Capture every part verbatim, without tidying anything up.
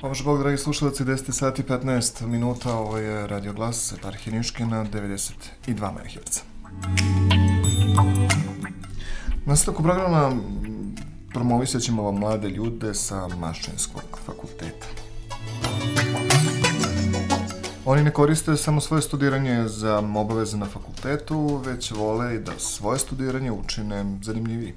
Pomože Bog, dragi slušalci, deset sati i petnaest minuta, ovo je Radio Glas, eparhija Niškina, devedeset dva megaherca. Na nastavku programa promovisat ćemo vam mlade ljude sa Mašinskog fakulteta. Oni ne koriste samo svoje studiranje za obaveze na fakultetu, već vole i da svoje studiranje učine zanimljiviji.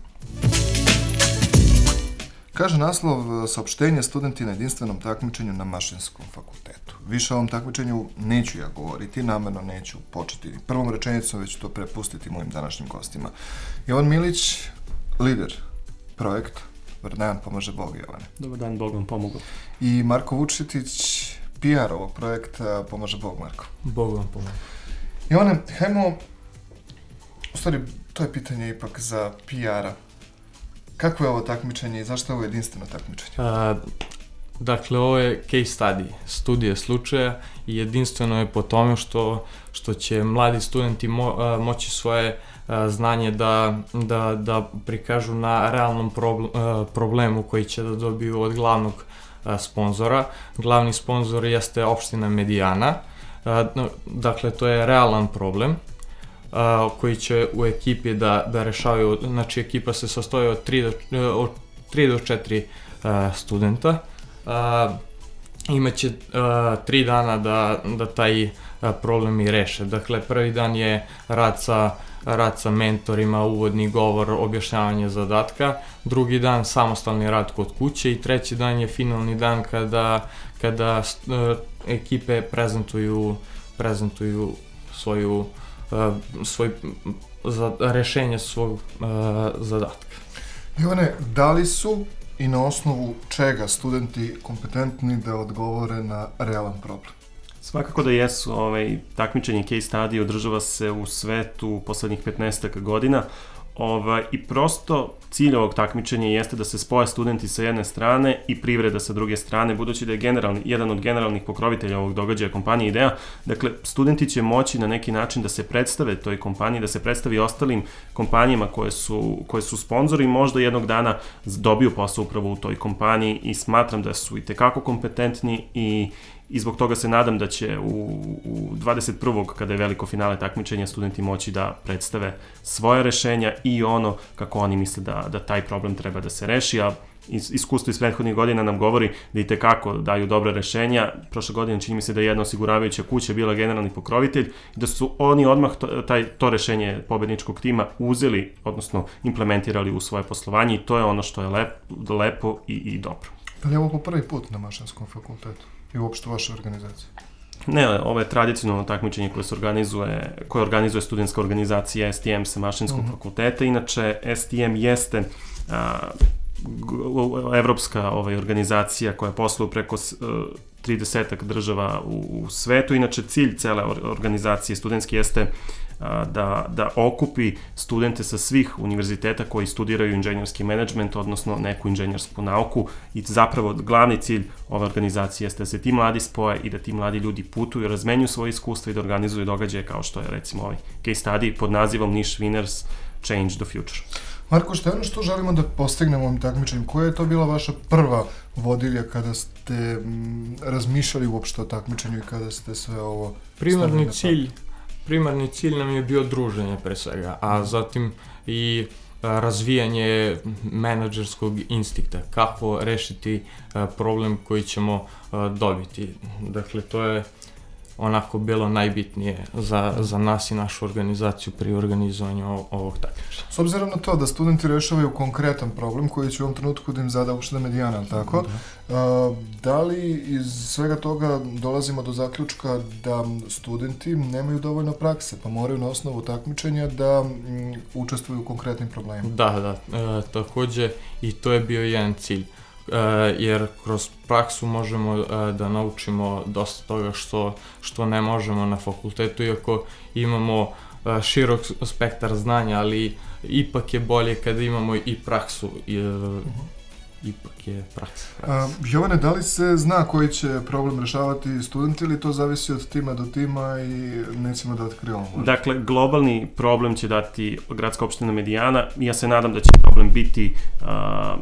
Kaže naslov saopštenja studenti na jedinstvenom takmičenju na Mašinskom fakultetu. Više o ovom takmičenju neću ja govoriti, namerno neću početi prvom rečenicom, već to prepustiti mojim današnjim gostima. Jovan Milić, lider projekta. Dobar dan, pomaže Bog, Jovane. Dobar dan, Bog vam pomogao. I Marko Vučetić, P R ovog projekta, pomaže Bog, Marko. Bog vam pomogao. Jovane, hajmo, u stvari, to je pitanje ipak za P R-a. Kako je ovo takmičenje i zašto je ovo jedinstveno takmičenje? A, dakle, ovo je case study, studije slučaja i jedinstveno je po tome što, što će mladi studenti mo, a, moći svoje a, znanje da, da, da prikažu na realnom problem, a, problemu koji će da dobiju od glavnog a, sponzora. Glavni sponzor jeste opština Medijana, a, dakle, to je realan problem. Uh, koji će u ekipi da, da rešavaju, znači ekipa se sastoji od tri do četiri uh, studenta. Uh, imaće uh, tri dana da, da taj uh, problem i reše. Dakle, prvi dan je rad sa, rad sa mentorima, uvodni govor, objašnjavanje zadatka. Drugi dan samostalni rad kod kuće i treći dan je finalni dan kada, kada uh, ekipe prezentuju, prezentuju svoju Uh, svoj, za, rešenje svog uh, zadatka. Ivane, da li su i na osnovu čega studenti kompetentni da odgovore na realan problem? Svakako da jesu. Ovaj, takmičenje case study održava se u svetu poslednjih petnaest godina. Ovaj, I prosto cilj ovog takmičenja jeste da se spoje studenti sa jedne strane i privreda sa druge strane, budući da je generalni, jedan od generalnih pokrovitelja ovog događaja kompanija Ideja. Dakle, studenti će moći na neki način da se predstave toj kompaniji, da se predstavi ostalim kompanijama koje su, koje su sponzori i možda jednog dana dobiju posao upravo u toj kompaniji i smatram da su i tekako kompetentni i I zbog toga se nadam da će u, u dvadeset prvog kada je veliko finale takmičenja, studenti moći da predstave svoje rešenja i ono kako oni misle da, da taj problem treba da se reši, a iskustvo iz prethodnih godina nam govori da i tekako daju dobre rešenja. Prošle godine čini mi se da je jedna osiguravajuća kuća bila generalni pokrovitelj i da su oni odmah to, taj, to rešenje pobedničkog tima uzeli, odnosno implementirali u svoje poslovanje i to je ono što je lep, lepo i, i dobro. Da li je ovo po prvi put na Mašinskom fakultetu i uopšte vaša organizacija? Ne, ovo je tradicionalno takmičenje koje se organizuje, koje organizuje studentska organizacija S T M sa Mašinskog uh-huh. fakulteta. Inače, S T M jeste a, evropska ovaj, organizacija koja posluje preko tridesetak država u, u svetu. Inače, cilj cele organizacije studentske jeste a, da, da okupi studente sa svih univerziteta koji studiraju inženjerski menadžment, odnosno neku inženjersku nauku i zapravo glavni cilj ove organizacije jeste da se ti mladi spoje i da ti mladi ljudi putuju, razmenjuju svoje iskustva i da organizuju događaje kao što je recimo ovaj case study pod nazivom Niš Winners Change the Future. Marko, što je ono što želimo da postignemo ovim takmičenjem? Koja je to bila vaša prva vodilja kada ste m, razmišljali uopšte o takmičenju i kada ste sve ovo primarni cilj, primarni cilj nam je bio druženje pre svega, a zatim i a, razvijanje menadžerskog instinkta, kako rešiti a, problem koji ćemo a, dobiti. Dakle, to je onako bilo najbitnije za, za nas i našu organizaciju pri organizovanju ovog takmičenja. S obzirom na to da studenti rešavaju konkretan problem koji će u ovom trenutku da im zada opština Medijana, tako? Da. A, da li iz svega toga dolazimo do zaključka da studenti nemaju dovoljno prakse, pa moraju na osnovu takmičenja da m, učestvuju u konkretnim problemima? Da, da. E, takođe i to je bio jedan cilj. Uh, jer kroz praksu možemo uh, da naučimo dosta toga što, što ne možemo na fakultetu, iako imamo uh, širok spektar znanja, ali ipak je bolje kada imamo i praksu. I, uh, ipak je praksa. A, Jovane, da li se zna koji će problem rešavati studenti ili to zavisi od tima do tima i nećemo da otkrivamo? Dakle, globalni problem će dati gradska opština Medijana. Ja se nadam da će problem biti a,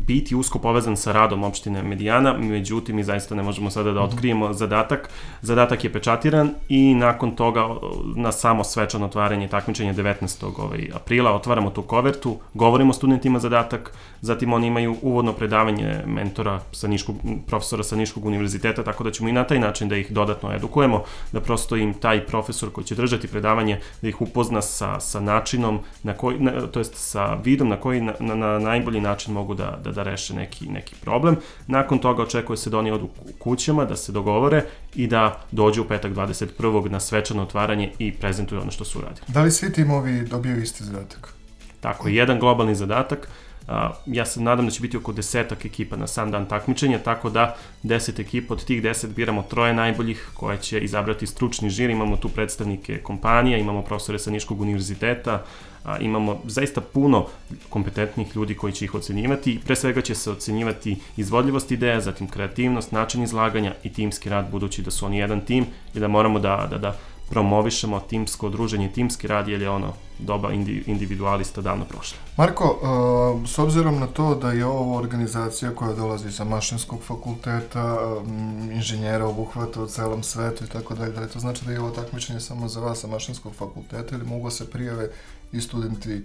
biti usko povezan sa radom opštine Medijana, međutim mi zaista ne možemo sada da otkrijemo zadatak. Zadatak je pečatiran i nakon toga na samo svečano otvaranje takmičenja devetnaestog aprila otvaramo tu kovertu, govorimo studentima zadatak, zatim oni imaju uvodno predavanje mentora sa Niškog, profesora sa Niškog univerziteta, tako da ćemo i na taj način da ih dodatno edukujemo, da prosto im taj profesor koji će držati predavanje, da ih upozna sa, sa načinom, na koji, na, to jest sa vidom na koji na, na, na najbolji način mogu da Da, da reše neki, neki problem. Nakon toga očekuje se da oni odu kućama, da se dogovore i da dođu u petak dvadeset prvog na svečano otvaranje i prezentuju ono što su uradili. Da li svi timovi dobiju isti zadatak? Tako je, jedan globalni zadatak. Uh, ja se nadam da će biti oko desetak ekipa na sam dan takmičenja, tako da deset ekipa, od tih deset biramo troje najboljih koje će izabrati stručni žir. Imamo tu predstavnike kompanija, imamo profesore sa Niškog univerziteta, a, imamo zaista puno kompetentnih ljudi koji će ih ocenjivati i pre svega će se ocenjivati izvodljivost ideja, zatim kreativnost, način izlaganja i timski rad, budući da su oni jedan tim i da moramo da, da, da promovišemo timsko druženje, timski rad, jer je ono doba individualista davno prošla. Marko, uh, s obzirom na to da je ovo organizacija koja dolazi sa Mašinskog fakulteta, um, inženjera obuhvata u celom svetu i tako dalje, da li to znači da je ovo takmičenje samo za vas sa Mašinskog fakulteta ili mogu se prijave i studenti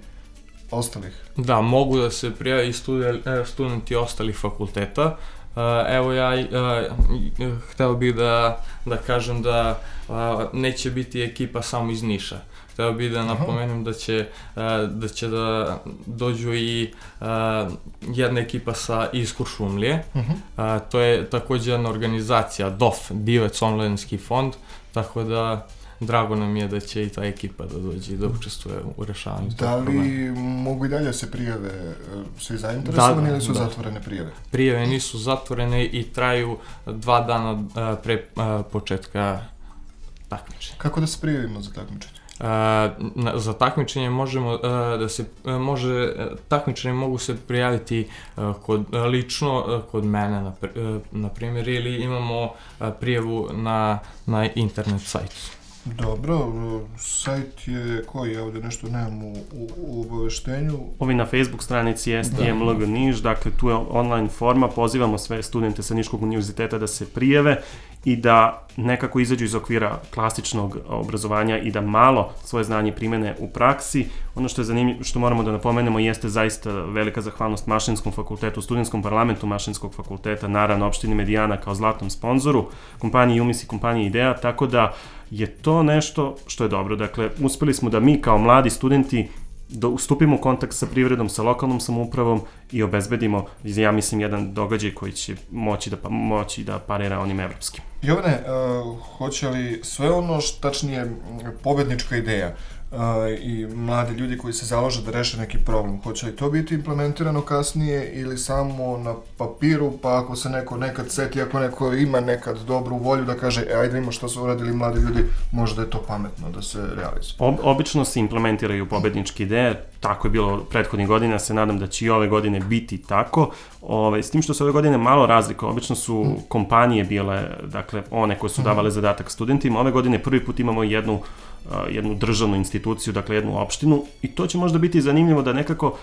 ostalih? Da, mogu da se prijave i studenti ostalih fakulteta. Evo ja uh, hteo bih da, da kažem da uh, neće biti ekipa samo iz Niša. Hteo bih da napomenem da će, uh, da će da dođu i uh, jedna ekipa sa iz Kuršumlije. Uh-huh. Uh, to je također jedna organizacija D O F, Divec omladinski fond, tako da drago nam je da će i ta ekipa da dođe i da učestvuje u rešavanju tog problema. Da li mogu i dalje se prijave svi zainteresovani da, ili su da. zatvorene prijave? Prijave nisu zatvorene i traju dva dana pre početka takmičenja. Kako da se prijavimo za takmičenje? Uh, na, za takmičenje možemo uh, da se uh, može takmičenje mogu se prijaviti uh, kod uh, lično uh, kod mene na, uh, na primjer ili imamo uh, prijavu na na internet sajtu. Dobro, sajt je koji, ja ovdje nešto nemam u, u, u obaveštenju. Ovi na Facebook stranici je S T M L G Niš, dakle tu je online forma, pozivamo sve studente sa Niškog univerziteta da se prijave i da nekako izađu iz okvira klasičnog obrazovanja i da malo svoje znanje primene u praksi. Ono što je zanimljivo, što moramo da napomenemo, jeste zaista velika zahvalnost Mašinskom fakultetu, studentskom parlamentu Mašinskog fakulteta, naravno opštini Medijana kao zlatnom sponzoru, kompaniji Umis i kompaniji Ideja, tako da je to nešto što je dobro. Dakle, uspeli smo da mi kao mladi studenti da ustupimo u kontakt sa privredom, sa lokalnom samoupravom i obezbedimo, ja mislim, jedan događaj koji će moći da, moći da parira onim evropskim. Jovane, uh, hoće li sve ono što tačnije pobednička ideja uh, i mladi ljudi koji se založe da reše neki problem, hoće li to biti implementirano kasnije ili samo na papiru, pa ako se neko nekad seti, ako neko ima nekad dobru volju da kaže, e, ajde ima što su uradili mladi ljudi, možda je to pametno da se realizuje. Ob, obično se implementiraju pobedničke ideje, tako je bilo prethodnih godina, se nadam da će i ove godine biti tako. Ove, s tim što se ove godine malo razlika, obično su kompanije bile, dakle, one koje su davale zadatak studentima. Ove godine prvi put imamo jednu, jednu državnu instituciju, dakle jednu opštinu, i to će možda biti zanimljivo da nekako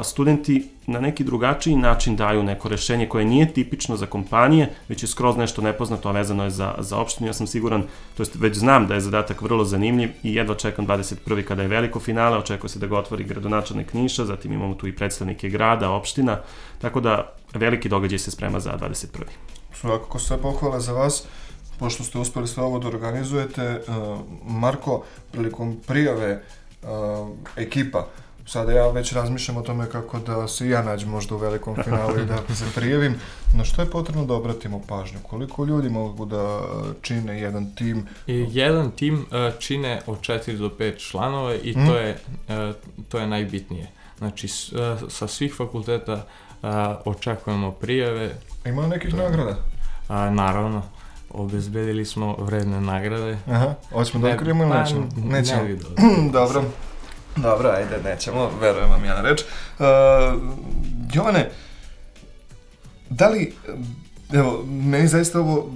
studenti na neki drugačiji način daju neko rešenje koje nije tipično za kompanije, već je skroz nešto nepoznato, a vezano je za, za opštinu. Ja sam siguran, to jest već znam da je zadatak vrlo zanimljiv i jedva čekam dvadeset prvog kada je veliko finale, očekuje se da ga otvori gradonačelnik Niša, zatim imamo tu i predstavnike grada, opština, tako da veliki događaj se sprema za dvadeset prvog Svakako sve pohvale za vas, pošto ste uspeli sve ovo da organizujete. Marko, prilikom prijave ekipa, sada ja već razmišljam o tome kako da se ja nađem možda u velikom finalu i da se prijavim. Na što je potrebno da obratimo pažnju? Koliko ljudi mogu da čine jedan tim? I jedan tim čine od četiri do pet članova i mm. to je, to je najbitnije. Znači, sa svih fakulteta očekujemo prijave. Ima li nekih nagrada? A, naravno. Obezbedili smo vredne nagrade. Aha, hoćemo da otkrijemo ili nećemo? Nećemo. Ne vidio. Dobro. Dobro, ajde, nećemo, verujem vam ja na reč. Uh, Jovane, da li, evo, meni zaista ovo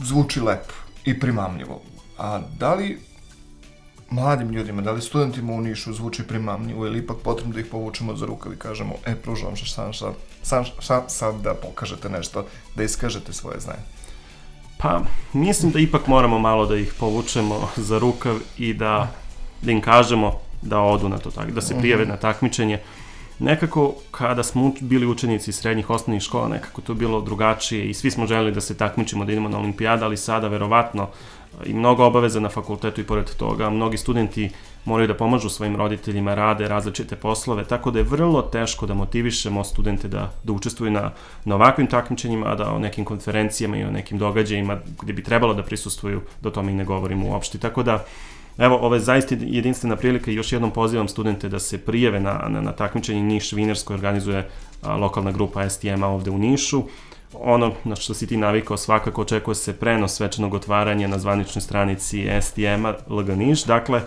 zvuči lepo i primamljivo, a da li mladim ljudima, da li studentima u Nišu zvuči primamljivo ili ipak potrebno da ih povučemo za rukav i kažemo, e, pružavam se sam sad, sam sad da pokažete nešto, da iskažete svoje znanje? Pa, mislim da ipak moramo malo da ih povučemo za rukav i da, da im kažemo da odu na to, da se prijave na takmičenje. Nekako, kada smo bili učenici srednjih osnovnih škola, nekako to bilo drugačije i svi smo želeli da se takmičimo, da idemo na olimpijada, ali sada, verovatno, i mnogo obaveza na fakultetu i pored toga, mnogi studenti moraju da pomažu svojim roditeljima, rade različite poslove, tako da je vrlo teško da motivišemo studente da, da učestvuju na, na ovakvim takmičenjima, a da o nekim konferencijama i o nekim događajima gde bi trebalo da prisustvuju, da o tome i ne govorimo uopšte. Tako da, evo, ovo je zaista jedinstvena prilika i još jednom pozivam studente da se prijave na, na, na takmičenje Niš Winners koje organizuje a, lokalna grupa S T M-a ovde u Nišu. Ono na što si ti navikao, svakako očekuje se prenos svečanog otvaranja na zvaničnoj stranici S T M-a L G Niš. Dakle,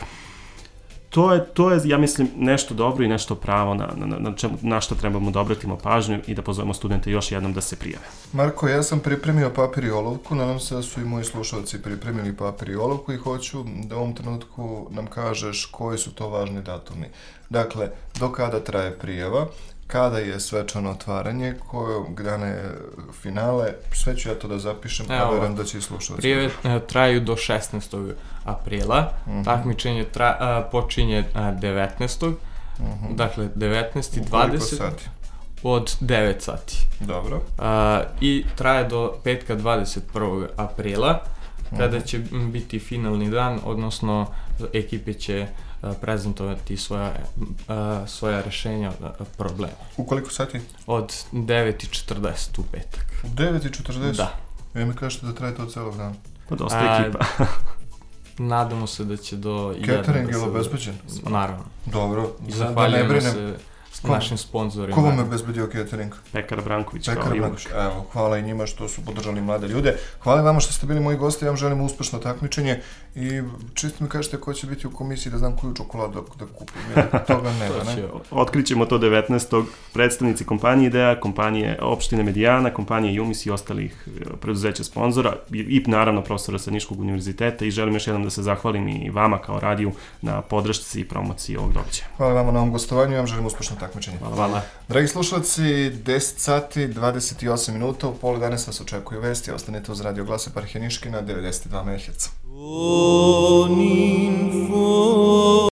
to je, to je, ja mislim, nešto dobro i nešto pravo na, na, na, čemu, na što trebamo da obratimo pažnju i da pozovemo studente još jednom da se prijave. Marko, ja sam pripremio papir i olovku, nadam se da su i moji slušalci pripremili papir i olovku i hoću da u ovom trenutku nam kažeš koji su to važni datumi. Dakle, do kada traje prijava, kada je svečano otvaranje, kojeg dana je finale, sve ću ja to da zapišem, a verujem da će i slušalci. Prijave traju do šesnaestog aprila, uh-huh. Takmičenje tra, a, počinje a, devetnaestog Uh-huh. Dakle, devetnaesti dvadeset sati? Od devet sati. Dobro. A, I traje do petka dvadeset prvog aprila, kada će biti finalni dan, odnosno ekipe će prezentovati svoja, svoja rešenja problema. U koliko sati? Od devet i četrdeset u petak. U devet i četrdeset? Da. Vi mi kažete da traje to celog dana? Pa dosta ekipa. Nadamo se da će do... Catering je li obezbeđen? Naravno. Dobro. Zahvaljujemo se s našim sponzorima. Ko vam je obezbedio catering? Pekara Branković. Pekara Branković. Evo, hvala i njima što su podržali mlade ljude. Hvala vama što ste bili moji gosti, ja vam želim uspešno takmičenje i čisto mi kažete ko će biti u komisiji da znam koju čokoladu da, da kupim, jer toga nema, ne? Otkrićemo to devetnaestog Predstavnici kompanije Idea, kompanije opštine Medijana, kompanije Jumis i ostalih preduzeća sponzora i, i naravno profesora sa Niškog univerziteta i želim još jednom da se zahvalim i vama kao radiju na podršci i promociji ovog događaja. Hvala vama na ovom gostovanju, ja vam želim uspešno takmičenje. Hvala. Hvala. Dragi slušalci, deset sati, dvadeset osam minuta, u pola danas vas očekuju vesti, ostanite uz Radio Glas Eparhije Niške na devedeset dva megaherca.